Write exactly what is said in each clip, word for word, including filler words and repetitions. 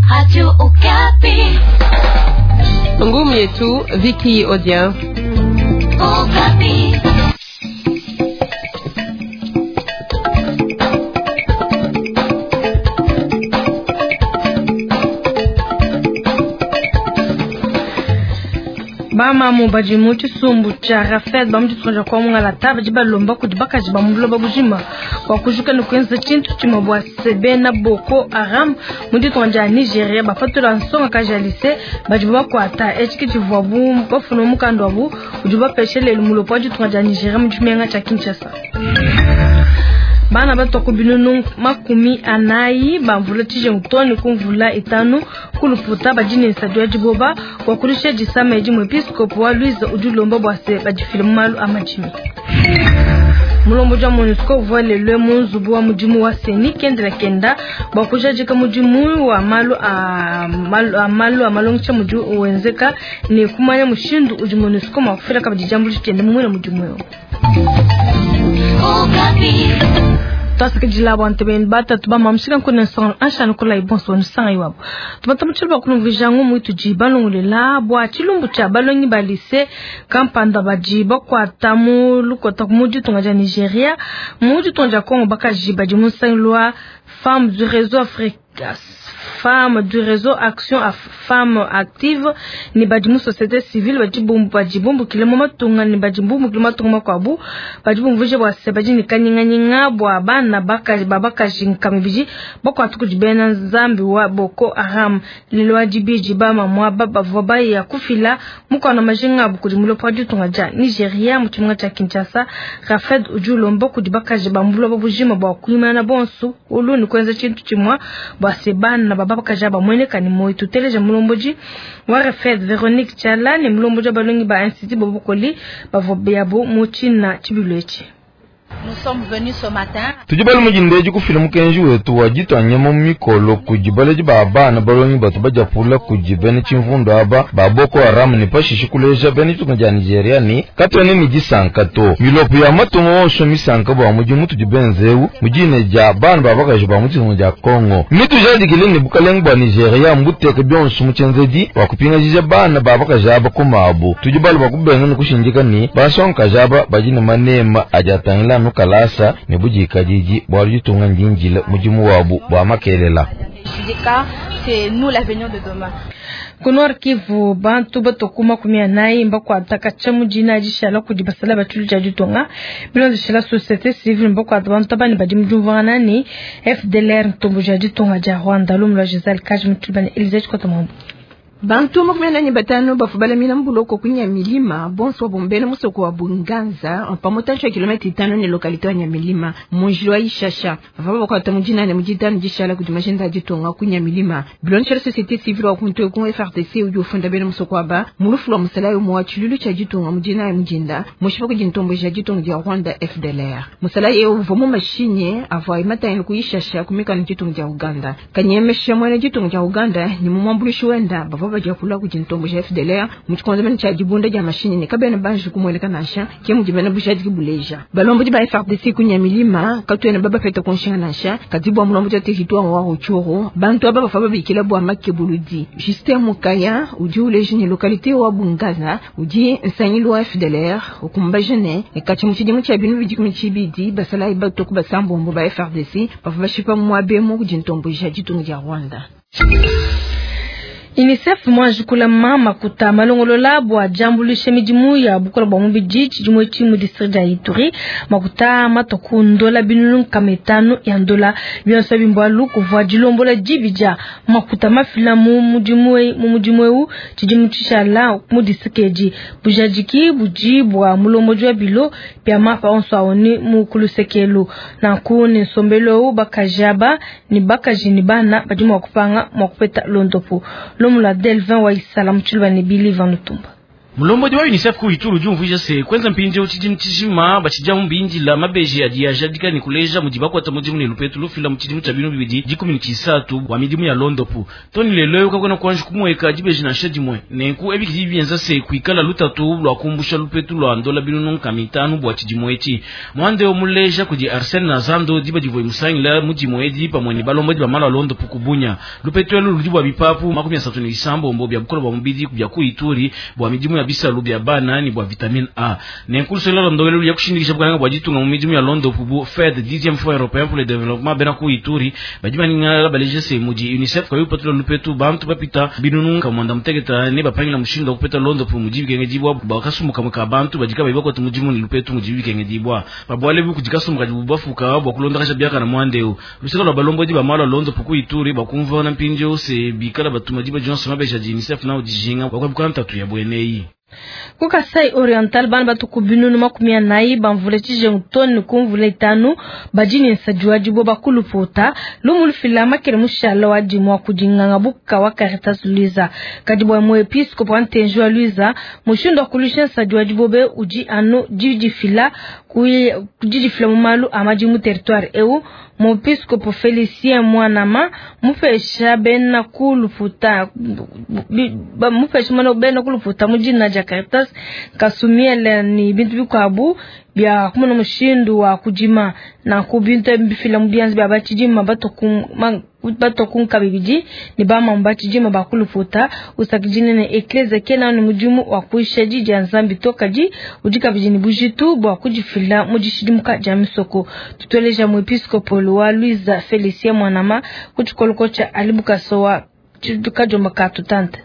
Radio Okapi. Ngumu yetu Vicky Odien. Okapi. Bamamu badi mu tshisumbu tshia Rafed ba mu ditunga dia Kwamongala badi balomba kudi bakaji ba mu buloba bujima bua kujuka ne kuenza tshintu tshimue bua se bena Boko Haram mu ditunga dia Nigeria bapatula nsongakaji ya lycée badi bakuata etshi ke tshivuabu bafuna mukanda wabu udi bapeshe lelu mulopo wa ditunga dia Nigeria mu tshimenga tshia Kinshasa. Bana batua ku binunu makumi anayi bamvula tshijengu too ne ku mvula itanu kuluputa badi ne nsadi wa diboba bua kulusha disama edi muepiskopo wa Louise udi ulomba bua se badifile mu malu a madimi. Mulombodi wa MONUSCO uvua lelu mu nzubu wa mudimu wa CENI kendela kenda bua kujadika mudimu wa malu a malu a malu a malongesha mudi wenzeka ne kumanya mushindu udi MONUSCO mua kufila kabidi diambuluisha diende mu muena mudimu eu. Twasakidila bua ntebeni batatu bamamushika nkuna nsonga anshanu kula ibonso nsanga iwabo tumata mutshilo bua kulumvija ngumu itudi balongolela bua tshilumbu tshia balongi ba lycée kampanda badi bakuata mu lukota mu ditunga dia Nigeria mu ditunga dia Congo bakaji badi mu nsangilu wa Femmes du Réseau Afrique Femmes du Réseau Action à Femmes Active ni badi mu société civile badi bumbu badi bumbukile mu matunga ni badi bumbukile matunga makuabu badi bumvuje bua se badi ne kanyinganyinga bua bana bakaji babakaji nkama ibidi bakuata kudi bena nzambi wa Boko Haram lelo wa dibidi bamamua bavua baya kufila mukana majinga abu kudi mulopo wa ditunga dia Nigeria mu tshimenga tshia Kinshasa. Rafed udi ulomba kudi bakaji ba mu buloba bujima bua kuimana bonso ulu ni kuenza tshintu tshimue bua se bana babakaji bamueneka ni moyo. Tuteleje mulombodi wa Rafed Veronique Tshiala ne mulombodi wa balongi ba Institut Bobokoli bavua yabo mu tshina tshibilu etshi. Tudi bali mujindeji kufila mukenji wetu wa ditwanyama mu mikolo kudi baledi ba bana balongi batu badiapula kudi bena tshimvundu aba ba Boko Haram ne pashishe kuleja bena ditunga dia Nigeria ni katuena ne disanka to milopo ya matunga onso misanka bua mudimu tudi benzewu mudine dia bana ba bakaji ba mu ditunga dia Congo mitujadikile ne bukalenge bua Nigeria mbuteke bionso mu tshienzedi bua kupingajija bana ba bakaji aba kumabu. Tudi bali bua kubenga ne kushindika ni bansongakaji aba badi ne manema adi atangila nu kalasa ne budikadidi bua ditunga ndinjila mudimu wabu bua makelela. Ku Nord Kivu bantu batoku makumi anayi mbakuata katshia mu dina dishala kudi basala ba tshilu tshia ditunga bilondeshela société civile mbakuata bantu abani badi mu diumvuangana ne F D L R ntomboji ya ditunga dia Rwanda. Lumu lua Giselle Kaji Mutshilubane Elise Tshikota Mwambu. Bantu makumi anani batano bafubala mina mbuloko kunya milima bonso wa bombele musoko wa Bunganza pamotancho ya kilomita itano ne lokalite ya Nyamilima munjilo wa Ishasha bava bakwata mujina ne mujitano jishala kudi majenda jitonga kunya milima bilonchela société civile wa kuntu ku F R D C udi ufunda bene musoko wa ba mulufu wa musalayo mu wa chilulu cha jitonga mujina ya mujinda mushipa kujintombo ja jitonga ja Rwanda F D L R musalayo uva mu mashine avwa imata ku Ishasha kumika jitonga ja Uganda kanyemesha mwana jitonga ja Uganda ni mumwambulishi wenda bava baja kula kujintombo ja F D L R muchikonzo bene cha jibunda ja mashine ne kabene banji kumweleka nasha ke mujibena bushadi kibuleja balombo di ba F R D C kunya milima katwene baba feta konshinga nasha katibwa mulombo ja territoire wa Rutshuru bantu aba bafa babikila bwa makebuludi Justin Mukaya udi uleje ni localité wa Bungaza udi nsangilo wa F D L R ukumbajene ne kachi muchidimu cha binu bidi chibidi basala ibato kubasambombo ba F R D C bafa bashipa mwabemo kujintombo ja jitungu ja Rwanda. UNICEF mwajikula mama kuta malongolola bua jambulisha midimu ya bukola bua mubidi tshidimu etshi mu district ya Ituri makuta matoku ndola binunu nkama itanu ya ndola bionso bimbalu kuvua dilombola dibidja makuta mafila mu mudimu mu mudimu eu tshidimu tshishala mu district edi bujadiki budi bua mulomboji wa bilo bia mapa onso awoni mu kulusekelu nanku ne nsombelo bakajaba ni bakaji ni bana badi mua kupanga mua kupeta londopo. L'homme la Delvin wa Isala Mutshilwa ne Billy Van Lutumba. Mulombodi wa UNICEF ku Ituri udi umvuija se kwenza mpindieu tshidimu tshijima batshidi amu bindila mabeji adi ajadika ne kuleja mudi bakuata mudimu ne lupetu lufila mu tshidimu tshia binu bibidi dikumi ne tshisatu bua midimu ya londopu toni lelo eu kakuena kuanji kumueka dibeji nansha dimue. Nenku ebi kidi bienza se kuikala lutatu lua kumbusha lupetu lua ndola binunu nkama itanu bua tshidimu etshi. Muanda eu muleja kudi Arsene Nazando diba divua musangila mudimu edi pamue ne balombodi ba malu a londopu kubunya. Lupetu elu ludi bua bipapu makumi asatu ne bisambombo bia bukole bua mubidi bia ku Ituri bua midimu ya bisalu bia bana ni bua vitamine A. Nenku lusela lwa ndongelu ya kushindikisha bukalanga bua ditunga mu midimu ya londopu bu FED dixième fonds européen pour le développement bena ku Ituri badi baningala baleja se mudi UNICEF kayi upatula lupetu bantu bapita binunu kamwanda muteketa ne bapangila mushindu wa kupeta londopu mudi bikengedibwa bua kasumbu kamwe ka bantu badi kabayi bakuata mudimu ne lupetu mudi bikengedibwa babuale bu kudi kasumbu kadi bubafuka bua kulondakasha biakana muandeu. Luseka lwa balombodi ba malu a londopu ku Ituri bakumva na mpindieu se bikala batuma diba dionso mabeja di UNICEF nao dijinga bua kuepuka ntatu ya bueneyi. Ku Kasai Oriental bana batuku binunu makumi anayi bamvule tshijengu toni kumvula itanu badi ne nsadi wa dibo bakulupota lumu lufila makele mushala wa dimua kudinganga buka wa Caritas Luiza kadi bua muepiskopo wa ntenji wa Luiza mushindu wa kulusha nsadi wa dibobe udi anu didifila didifila mu malu a madimu territoire eu. Muepiskopo Felicien Mwanama mupesha bena kuluputa mupesha mwana bena kuluputa mujina dia Caritas kasumiele ni bintu bikwabu bya kumona mushindu wa kujima na kubintu bifila mu bianzi bya bachijima batoku batokunka bibidi ni bama mbachijima bakuluputa usakijine ne eklezia kena ni mudimu wa kuisha jiji ya Nzambi tokaji ujika bijini bujitu bwa kujifila mujishidimuka ja misoko. Tutueleja muepiskopo wa Luiza Felicien Mwanama kuchikoloko cha alibukasowa kajomba katutante.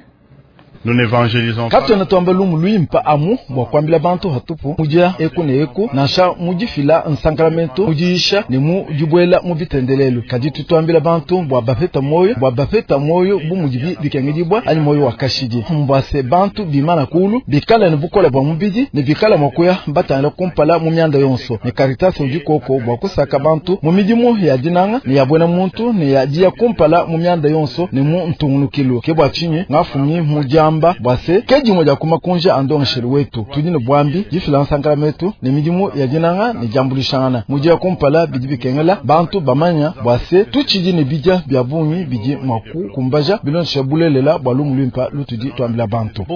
Katwena twamba lumu luimpa amu bua kuambila bantu hatupu mudia eku ne eku nansha mudifila nsankalamento mudiisha ne mu dibuela mu bitendelelu kadi tutwambila bantu bua bapeta moyo bua bapeta moyo bu mudibi bikengedibwa anyi moyo wa kashidi mbwase bantu bimana kulu bikala ne bukola bua mubidi ne bikala mua kuya batangila kumpala mu mianda yonso ne Caritas udi koko bua kusaka bantu mu midimu ya dinanga ne ya buena muntu ne ya dia kumpala mu mianda yonso ne mu ntungunukilu ke bua tshinyi ngafumi mudia bwase ke dimwe dia kumakunja andongeshelu wetu tudi ne bwambi difila nsankalametu ne midimu ya dinanga ne diambulishangana mudi ya kumpala bidi bikengela bantu bamanya bwase tutshidi ne bidia bia bungi bidi mua kukumbaja bilondesha bulelela bua lumu luimpa lutudi tuambila bantu.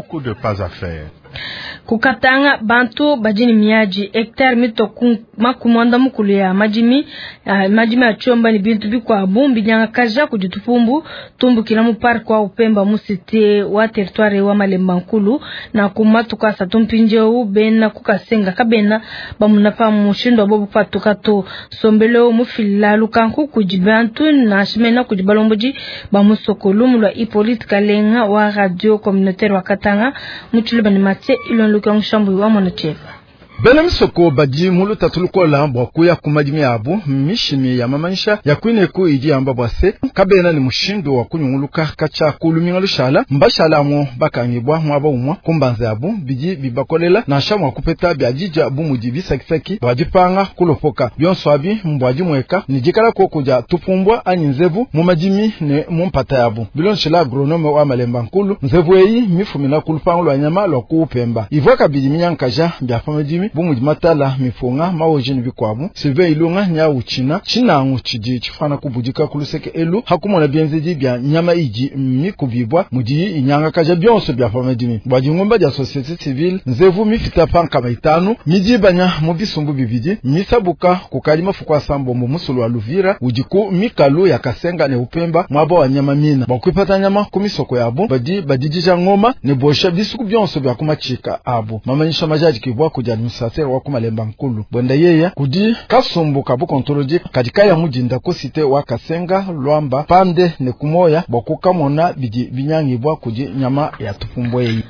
Kukatanga bantu bajini miaji hectare mito makumwanda mukulu ya majimi uh, majimi ya chomba ni bintu bikwa bumbi nyanga kaja kujitupumbu tumbukila mu park wa Upemba mu cité wa territoire wa Malemba Nkulu na kumatuka satumpinjeu bena kukasenga kabena bamuna pa mushindo bobu patuka to sombelo mufila lukanku kujibantu na shimena kujibalomboji ba musokolu mulwa Hippolyte Kalenga wa radio communautaire wa Katanga muchulu ni matie ilon luka nshambu wa mwana cheva. Bena misoko badi mu lutatu lukola bua kuya ku madimi abu mishimi ya mamanyisha ya kuineku idi yamba bua se kabena ne mushindu wa kunyunguluka katshia ku luminga lushala mbashala amu bakangibwa muaba umua kumbanza yabu bidi bibakolela nansha mua kupeta bia dija bu mudi bisakisaki bua dipanga kulopoka bionso abi mbua dimueka ne dikala koko dia tupumbwa anyi nzevu mu madimi ne mu mpata yabu bilonshela agronome wa Malemba Nkulu nzevu eyi mifumina ku lupangu lua nyama lua ku Upemba ivua kabidi minyankaja bia pa madimi bu mudi matala mifunga mawoji ne bikwabu Sylvain Ilunga nya uchina chinangu chidi chifana kubudika kuluseke elu hakumona bienzedi bia nyama idi mikubibwa mudi inyanga kaja bionso bia pa madimi bua dingumba dia société civile nzevu mifita pankama itanu midibanya mu bisumbu bibidi misabuka kukali mafuku asambombo musulu wa Luvira udi ku mikalu ya Kasenga ne Upemba mwaba wa nyama mina bua kuipata nyama ku misoko yabo badi badidija ngoma ne bosha bisuku bionso bia kumachika abo mamanyisha majaji kibwa kudia administrateur wa kumalemba Nkulu bwenda yeya kudi kasumbu kabu kontrolodi kadika ya mudinda ku cité wa Kasenga Lwamba pande ne kumoya bua kukamona bidi binyangibwa kudi nyama ya tupumbwe eyi.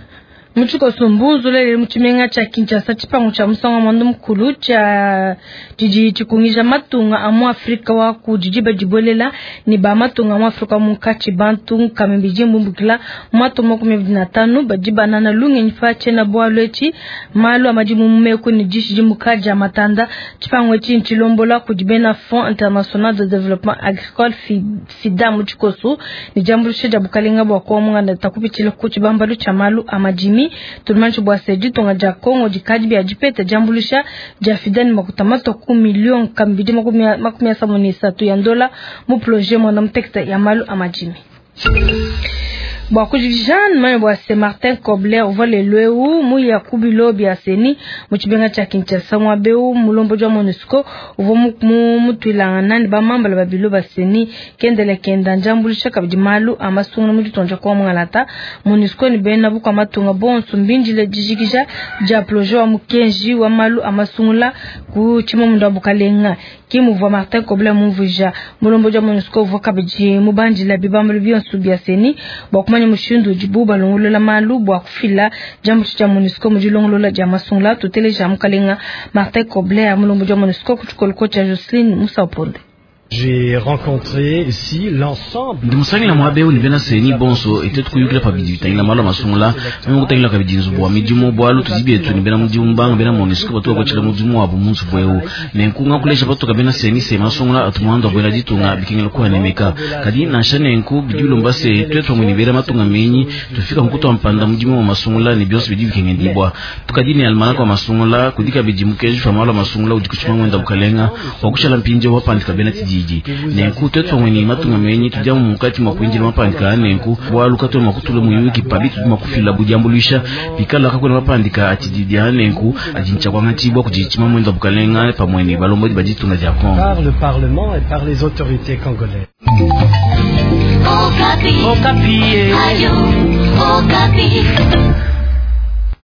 Muchiko sumbuzu lele muchimenga cha Kinshasa chipangu cha musanga mwandu mukulu cha jiji chikungija matunga amu Afrika wa kujijiba jibolela ni ba matunga amu Afrika munkachi bantu kamembiji mbumbukila mwatu makumi abiri na tanu bajiba nana lunge nyifa chena bwalwechi malu amajimu mumeku ni jishi jimukaja matanda chipangu echi nchilombola kujibena Fonds International de Développement Agricole FIDA muchikosu ni jambulushe ja bukalenga bwa kwa munganda takupichila kuchibambalu cha malu amajimi madimi. Tulimanshi bua se ditunga dia Kongo dikadi bia dipeta diambulusha dia fidani makuta mato ku million kambidi makumi asambombo ne isatu ya ndola mu projet mwana mutekete ya malu a madimi. Bua kujikija manya bua se Martin Kobler uvua lelu eu muya ku bilo bia CENI mu tshimenga tshia Kinshasa muaba eu mulombodi wa MONUSCO uvua mutuilangana ne bamambala ba bilo ba CENI kendela kenda njambulisha kabidi malu a masungula mu ditunga dia Kongo mungalata. MONUSCO ne bena bukua matunga bonso mbindile dijikija dia projet wa mukenji wa malu a masungula ku tshimamunda wa bukalenga. Ki muvua Martin Kobler mumvuija mulombodi wa MONUSCO uvua kabidi mubandila bibambalu bionso bia CENI bua kumanya mushindu udibu balongolola malu bua kufila diambulusha dia MONUSCO mu dilongolola dia masungula. Tuteleja mukalenga Martin Kobler mulombodi wa MONUSCO ku tshikoloko tshia Jocelyn Musaponde. J'ai rencontré ici l'ensemble. Ndi musangila muaba eu ne bena CENI bonso ete tukuyukila pabidi bitangila malu a masungula meme kutangila kabidi nzubu wa midimu bualu tudi bietu ne bena mudimu banga bena MONUSCO batu bakuatshila mudimu wabu mu nzubu eu. Nenku ngakulesha patoka bena CENI se masungula atu muanda wa buena ditunga bikengela kuanemeka. Kadi nansha nenku bidi bilomba se tuetu pamue ne bena matunga menyi tufika mukutua mpanda mudimu wa masungula ne bionso bidi bikengendibua. Tukadi ne almanaka wa masungula kudi kabidi mukenji pa malu a masungula udi kutshima muenda bukalenga wa kushala mpindieu wapandika bena tididi. Nenku tuetu pamue ne matunga menyi tudi amu mukati mua kuindila mapandika a nenku bualu katuena mua kutula muyuki pabi tudi mua kufila budiambuluisha bikala kakuena mapandika a tididi a nenku adi ntshia kuangatshibua kudi tshima muenda bukalenga pamue ne balombodi ba ditunga dia Kongo. Par le Parlement et par les autorités congolaises. Okapi. Okapi. Ayo, Okapi.